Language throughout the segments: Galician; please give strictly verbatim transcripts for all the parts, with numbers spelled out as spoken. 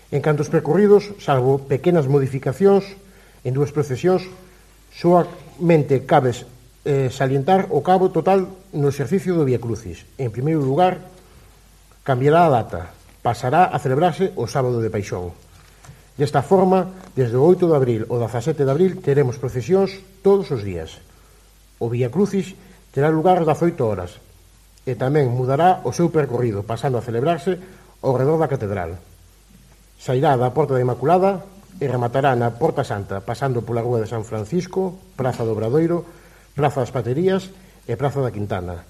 En canto aos percorridos, salvo pequenas modificacións en dúas procesións, soamente cabe eh, salientar o cabo total no exercicio do Vía Crucis. En primeiro lugar, cambiará a data, pasará a celebrarse o sábado de Paixón. Desta forma, desde o oito de abril ao dezasete de abril teremos procesións todos os días. O Vía Crucis terá lugar ás dezaoito horas e tamén mudará o seu percorrido, pasando a celebrarse ao redor da catedral. Sairá da Porta da Inmaculada e rematará na Porta Santa, pasando pola Rúa de San Francisco, Praza do Obradoiro, Praza das Paterías e Praza da Quintana.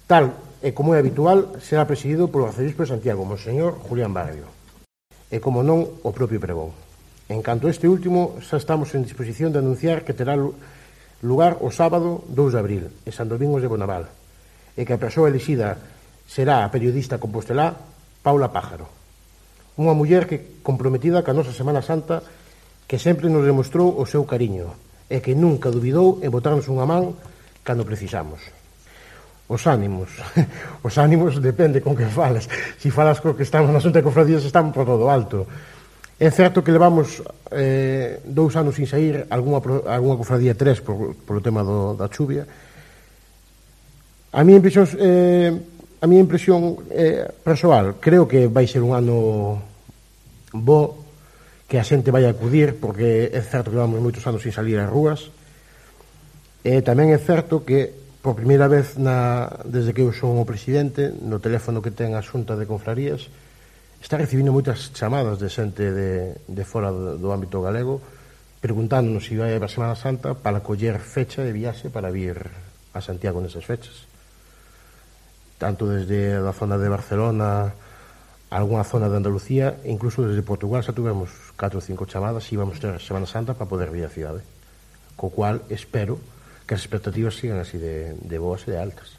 Tal e como é habitual, será presidido polo arcebispo de Santiago, Monseñor Julián Barrio, e como non, o propio pregón. En canto a este último, xa estamos en disposición de anunciar que terá lugar o sábado dous de abril, en San Domingos de Bonaval, e que a persoa elixida será a periodista compostelá Paula Pájaro, unha muller que comprometida ca nosa Semana Santa, que sempre nos demostrou o seu cariño e que nunca dubidou en botarnos unha man cando precisamos. Os ánimos, os ánimos depende con que falas. Si falas co que estamos na Xunta de Cofradías, estamos por todo alto. É certo que levamos eh, dous anos sin sair, algunha, algunha cofradía tres por, por o tema do, da chuvia. A miña impresión eh, a miña impresión eh, persoal, creo que vai ser un ano bo, que a xente vai acudir, porque é certo que levamos moitos anos sin salir ás rúas, e tamén é certo que por primeira vez na, desde que eu son o presidente, no teléfono que ten a Xunta de Confrarías, está recibindo moitas chamadas de xente de, de fora do, do ámbito galego, preguntándonos se vai a Semana Santa para coller fecha de viaxe para vir a Santiago nesas fechas, tanto desde a zona de Barcelona a alguna zona de Andalucía, incluso desde Portugal xa tuvemos catro ou cinco chamadas e íbamos ter a Semana Santa para poder vir a cidade, co cual espero que as expectativas sigan así de, de boas e de altas.